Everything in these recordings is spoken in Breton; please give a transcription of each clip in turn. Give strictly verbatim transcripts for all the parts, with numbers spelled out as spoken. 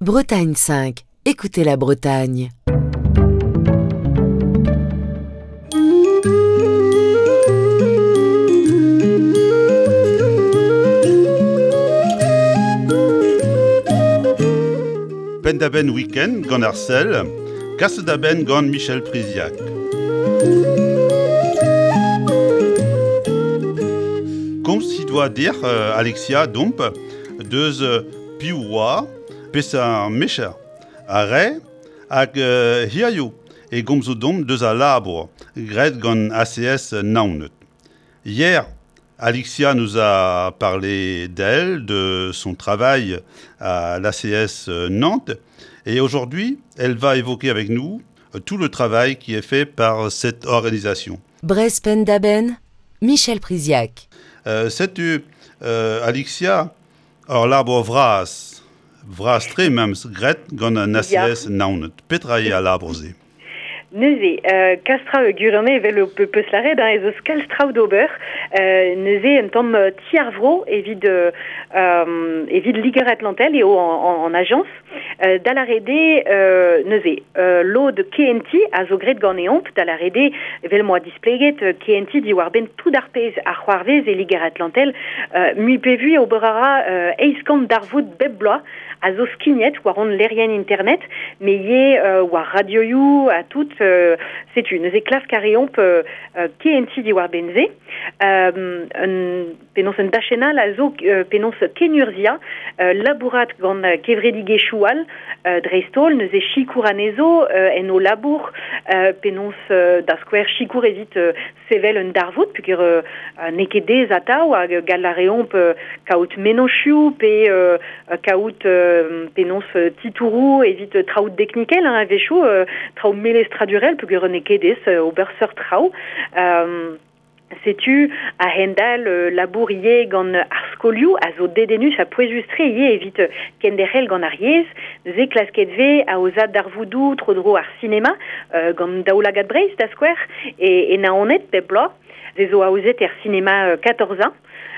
Bretagne cinq, écoutez la Bretagne. Penn-da-benn week-end gant ar sel, kaset da benn gant Michel Priziac. Komz he doa dir euh, Alexia Domp deus euh, piv oa pes ar mecher a re hag euh, hirio e gomzo domp deus a labour graet gant A C S Naoned. Hier, Alexia nous a parlé d'elle, de son travail à l'A C S Nantes, et aujourd'hui, elle va évoquer avec nous tout le travail qui est fait par cette organisation. Breizh Penn-da-Benn, Michel Priziac. Euh, setu, euh, Alexia, ur labour vras, vras-tre memes graet gant an A C S Naoned. Petra eo al labour-se? Neuze, euh, kastra gurane evel o peus laret, hein, ez eus kalz traoù d'ober, euh, neuze un tamm ti ar vro evit, euh, evit Liger Atlantel eo en, en, en agence, euh, da larede, euh, neuze, euh, lod K N T a zo graet ganeomp, da larede evel moa displeget, euh, K N T diwar benn tout ar pezh ar c'hoarvez e Liger Atlantel, euh, mui pe vui ober a ra, euh, eizh kant darvoud bep bloaz a zo skignet war hon lerien internet, me ivez, euh, war radioioù a tout, euh, setu, neuze klask a reomp, euh, euh, K N T diwar benze. Euh, un, penaos un dachenal a zo, euh, penaos kenurzia, euh, labourat gant kevredigezhioù all, euh, dreist-holl, neuze sikour anezho, euh, en o labour, euh, penaos, euh, da skouer sikour evit, euh, sevel un darvoud, puisque, euh, n'eo ket dez atav, hag gall a reomp, euh, kaout mennozhioù pe, euh, kaout, euh, penaos, euh, titouroù evit, euh, traoù teknikel, hein, a-wechoù, euh, traoù melestradurel, puisque n'eo ket dez, euh, ober seurt traoù. Euh, setu a hendal, euh, labour ivez gant ar skolioù a zo dedennus ha pouezus-tre ivez evit, euh, kenderc'hel gant ar yezh. Neuze klasket vez aozad darvoudoù tro-dro ar sinema, euh, gant Daoulagad Breizh da skouer e, e Naoned bep bloaz. Ze zo aozet er sinema, euh, quatorze ans.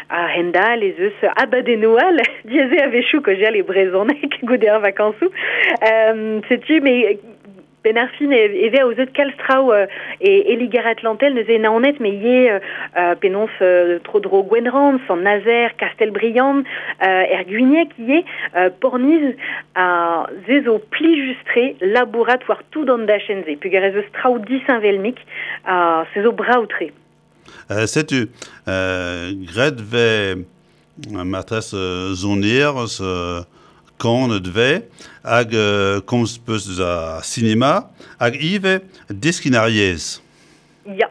A hendal ez eus abadennoù all, diaze a-wechoù kaozeal e brezhoneg goude ar vakañsoù. Euh, setu, me Ben ar fin e, e vez aozet kalz traoù, euh, e, e Liger Atlantel neuze Naoned, me ivez, euh, euh, penaos, euh, tro-dro Gwenrann, Sant-Nazer, Castelbriand, euh, er Gwinieg ivez, euh, Pornizh, a ze zo plijus-tre labourat war tout an dachenn-se. Peogwir ez eus traoù disheñvel-mik, a se zo brav-tre. Euh, setu, euh, graet vez matresse, euh, zoner, euh, kanet vez, hag, euh, komz peus deus ar sinema, hag ivez deskin ar yezh. Ya.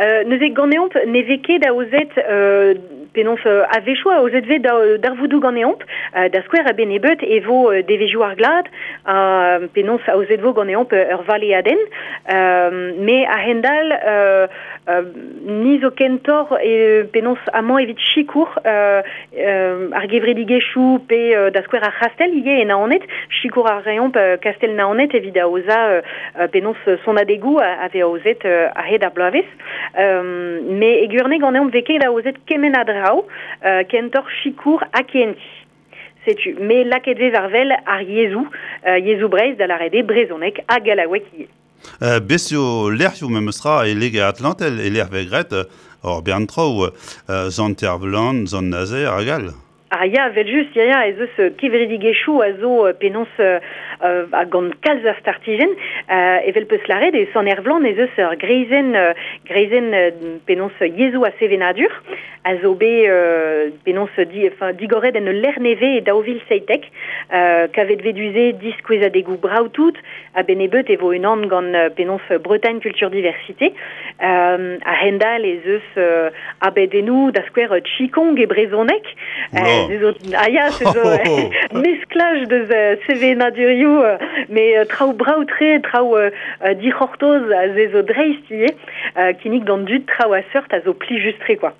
Euh, neuze ganeomp ne vez ket aozet, euh, penaos, euh, a-wechoù aozet vez da, darvoudoù ganeomp, euh, da skouer a bennebeut e vo, euh, devezhioù ar glad, euh, penaos aozet vo ganeomp, euh, ur valeadenn, euh, me a-hend-all, euh, euh, ni zo kentor e penaos amañ evit sikour, euh, euh, ar gevredigezhioù pe, euh, da skouer ar c'hastell ivez e Naoned, sikour ar reomp, euh, Kastel Naoned evit aozañ, euh, euh, penaos sonadegoù a, a vez aozet, euh, a-hed ar bloavezh. Euh, me e gwirionez ganeomp vez ket aozet kement a draoù, euh, kentor sikour ha kenti. Setu, me lakaet vez war wel ar yezhoù, euh, yezhoù Breizh da lâret eo brezhoneg ha gallaoueg ivez. Euh, bez eo lec'hioù memes tra e Liger Atlantel e lec'h vez graet, euh, ur bern traoù, euh, Sant-Ervlan, Sant-Nazer hag all. Ah ya, vel just, ya, ya, ez eus, euh, kevredigezhioù a zo, euh, penaos, euh, euh, a gant kalz a startijenn, euh, evel peus lâret e Sant-Ervlan ez eus ur greizenn, euh, greizenn, euh, penaos yezhoù ha sevenadur, a zo bet, euh, penaos di, enfin, digoret en ul lec'h nevez e daou vil seitek, euh, kavet vez du-se diskouezadegoù brav tout, a bennebeut e vo unan gant, euh, penaos Bretagne Culture Diversité, euh, a hendal ez eus, euh, abadennoù da skouer, euh, Qigong e brezhoneg. Oula. Euh, ze zo, ah ya, se zo, Oh, oh, oh. mesklaj deus, euh, sevenadurioù, euh, mais, euh, traoù brav-tre, traoù, euh, euh, dic'hortoz a ze zo dreist ivez, euh, kinnig d'an dud traoù a seurt a zo plijus-tre, quoi.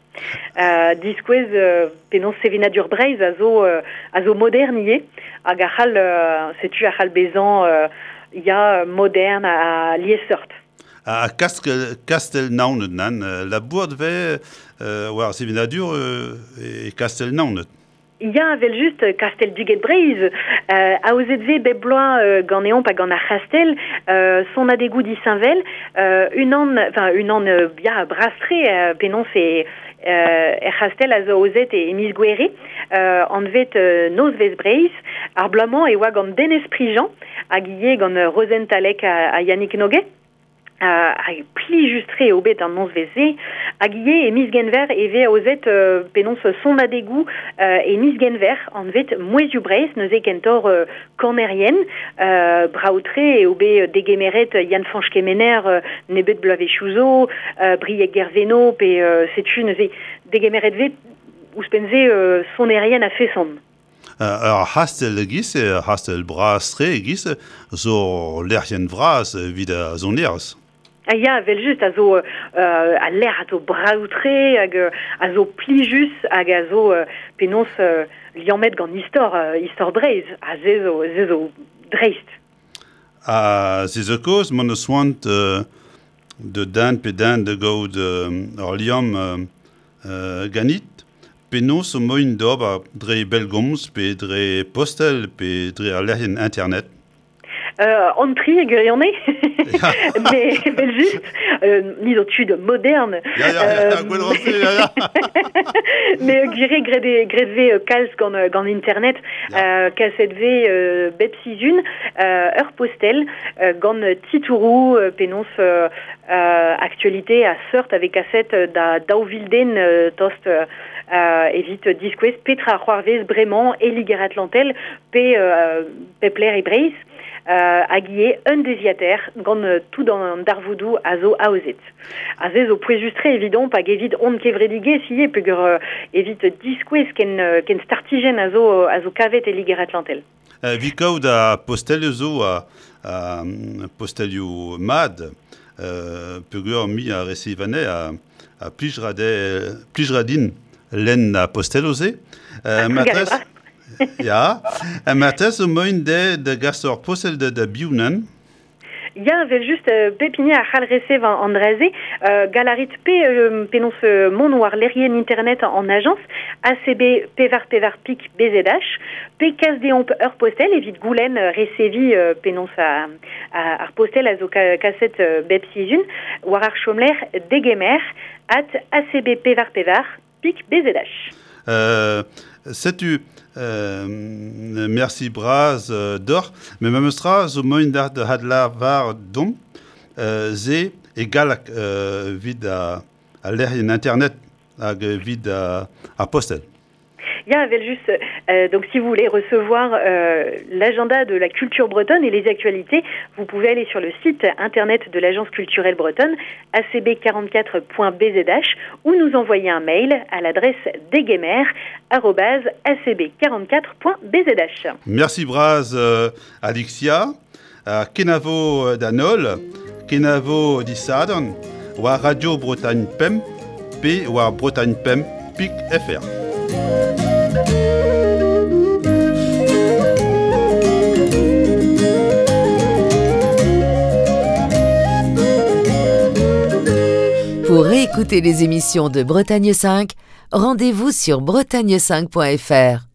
Euh, diskouez, euh, penaos sevenadur Breizh a zo, euh, a zo modern ivez, hag a c'hall, euh, setu a c'hall bezañ, euh, ya modern a, a liesseurt. A Kastel, Kastel Naoned nan, euh, la bourde vez, euh, war sevenadur, euh, e Kastel Naoned. Ya, vel just, Kastel Duget Breiz, euh, aozet ve bep bloaz euh, ganeomp hag gant ar c'hastel, euh, son adegou disheñvel, euh, unan, enfin, unan euh, ya, brastre, euh, penaos e euh, er c'hastel a zo aozet e, e miz Gouere, euh, anvet euh, Nozvez Breiz, ar bloaz-mañ e oa gant Denez Prigent, hag ivez gant euh, Rozenn Talec ha, ha Yannick Noguet. Uh, hag plijus-tre eo bet an nozvezh-se, hag ivez e miz Genver e vez aozet euh, penaos son adegou euh, e miz Genver anvet Mouezhioù Breizh neuze kentoc'h euh, kanerien, euh, brav-tre eo bet degemeret Yann-Fañch Kemener euh, nebet bloavezhioù zo, euh, Brieg Guerveno pe euh, setu neuze degemeret vez ouzhpenn-se euh, sonerien a-feson. Uh, ar c'hastell e-giz, ar c'hastell bras-tre e-giz, zo lec'hienn vras evit ar sonerezh. Ah ya, vel just, a zo euh, a lec'h a zo brav-tre hag a zo plijus hag a zo euh, penaos euh, liammet gant istor, euh, istor Breizh, ha se zo, se zo dreist. Ha se zo kaoz m'hon eus c'hoant euh, de den pe den da gaout euh, ur liamm euh, euh, ganit, penaos zo moaien d'ober dre bellgomz pe dre postel pe dre ar lec'hienn internet. Euh, an tri e gwirionez, mais vel just, euh, ni zo tud modern. Ya, ya, ya, gwell ra-se, ya, ya. Mais gwir eo graet e, graet vez euh, kalz gant, gant internet, Ya. euh, kaset vez euh, bep sizhun, euh, ur postel, euh, gant titouroù, euh, penaos euh, euh, actualité a seurt a vez kaset da daou vil den euh, tost euh, evit diskouez petra c'hoarvez bremañ e Liger-Atlantel pe euh, pep lec'h e Breizh. Euh, hag ivez un deiziataer gant euh, tout an darvoudoù a zo aozet. Ha se zo pouezus-tre evidomp hag evit hon kevredigezh ivez peogwir euh, evit diskouez ken, euh, ken startijenn a zo, a zo kavet e Liger-Atlantel. Euh, evit kaout a postelioù zo a, a postelioù mat, euh, peogwir me a resev anezhe a, a plij ra de, plij ra din lenn a postelioù-se. Euh, Ah, matrez, trugarez ya, ha matrez zo moaien de, da gas ur postel da, da biv nann. Ya, vel just, euh, pep hini a c'hall resev an, an dra-se, euh, gall a rit pe euh, penaos euh, mont war lec'hienn internet an ajañs, A C B pevar pevar pik B Z H, pe kas deomp ur postel evit goulenn euh, resevi euh, penaos a, a, ar postel a zo ka, kaset euh, bep sizhun, war ar chomlec'h degemer at A C B pevar pevar pik B Z H. Euh, setu euh, merci bras euh, deoc'h, met memes tra zo moaien da da adlavar domp, euh, se e galleg euh, evit a, a lec'hienn internet hag evit a, ar postel. Ya, vel just, euh, donc si vous voulez recevoir euh, l'agenda de la culture bretonne et les actualités, vous pouvez aller sur le site internet de l'Agence culturelle bretonne, A C B quarante-quatre point B Z H, ou nous envoyer un mail à l'adresse degemer arobase A C B quarante-quatre point B Z H. Merci bras, euh, Alexia. Euh, kenavo d'Anol, kenavo disadorn, war Radio Bretagne Pemp, pe war Bretagne Pemp pik F R. Pour réécouter les émissions de Bretagne cinq, rendez-vous sur bretagne cinq point F R.